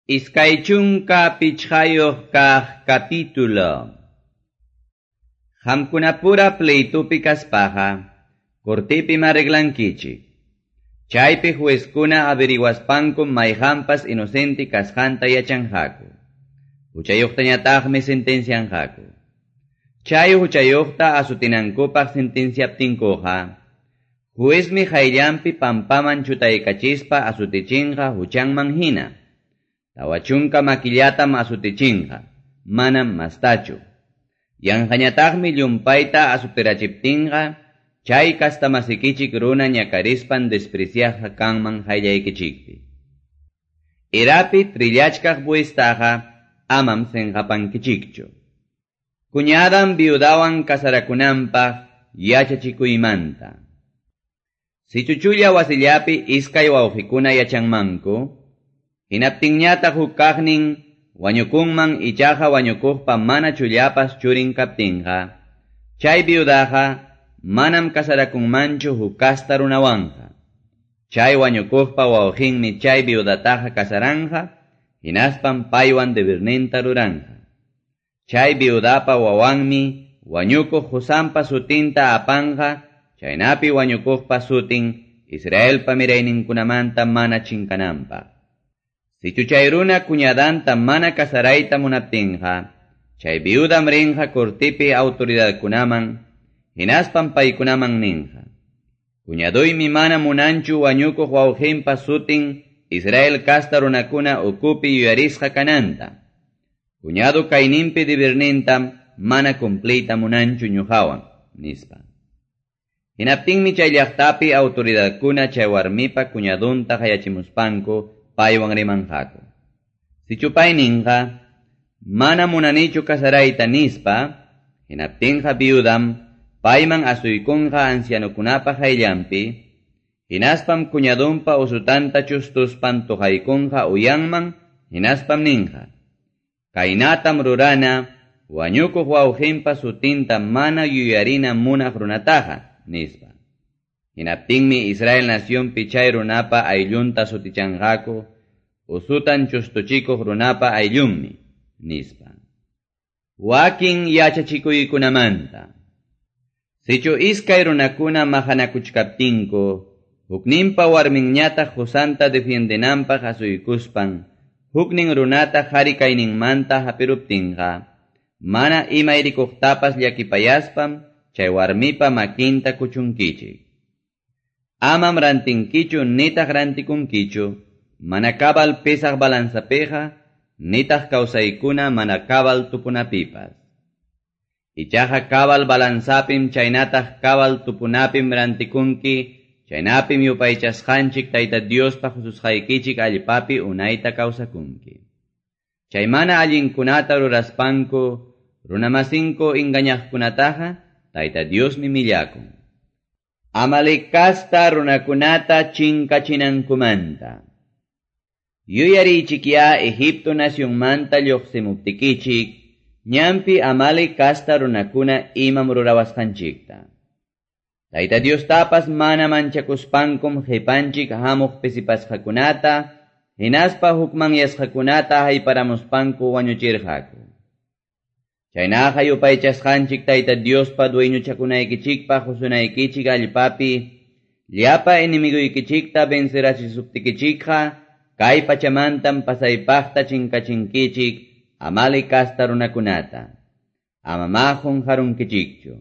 25 kaq capítulo. Qamkunapura pleitupi kaspaqa, cortipim arreglankichik. Chaypi juezkuna averiguaspankum mayqanpas inocente kasqanta yachanqaku. Huchayuqtañataqmi sentencianqaku. Chay huchayuqta asutinankupaq sentenciaptinkuqa, juezmi qayllanpi pampaman chutaykachispa asutichinqa huchanman hina. 40 makillatam asutichinqa, manam mastachu. Yanqañataqmi llumpayta asutirachiptinqa, chay kastamasikichik runa ñakarispan despreciasqa kanman qayllaykichikpi. Erapi trillachkaq bueystaqa amam senqapankichikchu. Cuñadan viudawan casarakunanpaq yachachikuymanta. Sichu chulla wasillapi iskay wawqikuna yachanmanku, hinaptinñataq huk kaqnin wañukunman ichaqa wañukuqpa mana chullapas churin kaptinqa, chay viudaqa manam casarakunmanchu huk kasta runawanqa. Chay wañukuqpa wawqinmi chay viudataqa casaranja, hinaspam paywan debirninta ruranja. Chay viudapa wawanmi wañukuq qusanpa sutinta apanja, chaynapi wañukuqpa sutin Israelpa mirayninkunamanta mana chinkananpaq. Sichu chay runa cuñadanta mana casarayta munaptinqa, chay viudam rinqa cortipi autoridadkunaman, hinaspam paykunaman ninqa. Cuñaduymi mana munanchu wañukuq wawqinpa sutin Israel kasta runakuna ukupi yuyarisqa kananta. Cuñado kayninpi dibirnintam mana cumpliyta munanchu ñuqawan, nispa. Hinaptinmi chay llaqtapi autoridadkuna chay warmipa cuñadunta qayachimuspanku paywan rimanqaku. Sichu pay ninqa, mana munanichu casarayta nispa, hinaptinqa viudam payman asuykunqa ancianokunapa qayllanpi, hinaspam cuñadunpa usutanta chustuspan tuqaykunqa uyanman, hinaspam ninqa. Kaynatam rurana, wañukuq wawqinpa sutinta mana yuyarina munaq runataqa, nispa. Hinaptinmi Israel nacionpi chay runapa ayllunta sutichanqaku, usutan chustuchikuq runapa ayllunmi, nispa. Wakin yachachikuykunamanta. Sichu iskay runakuna maqanakuchkaptinku, hukninpa warminñataq qusanta defiendenanpaq asuykuspan, huknin runata qhari kayninmanta hapiruptinqa, mana imayrikuqtapas llakipayaspam chay warmipa makinta kuchunkichik. Amam rantinkichu nitaq rantikunkichu, mana cabal pesaq balanzapiqa, nitaq kawsaykuna mana cabal tupunapipas. Ichaqa cabal balanzapim chaynataq cabal tupunapim rantikunki, chaynapim yupaychasqanchik Tayta Diospa hususqaykichik allpapi unayta kawsakunki. Chay mana allinkunata ruraspanku, runamasinku engañaqkunataqa Tayta Diosmi millakun. Amalec kasta runakunata chinkachinankumanta. Yuyarichikya Egipto nacionmanta lluqsimuptikichik, ñanpi Amalec kasta runakuna imam rurawasqanchikta. Tayta Diostapas mana manchakuspankum qipanchik hamuq pisipasqakunata, hinaspa hukmanyasqakunata hayparamuspanku wañuchirqaku. Chaynaqa yupaychasqanchik Tayta Diospa dueñochakunaykichikpaq husunaykichik allpapi, llapa enemiguykichikta vencerachisuptikichikqa, kay pachamantam pasaypaqta chinkachinkichik Amalec kasta runakunata. Amamá qunqarunkichikchu.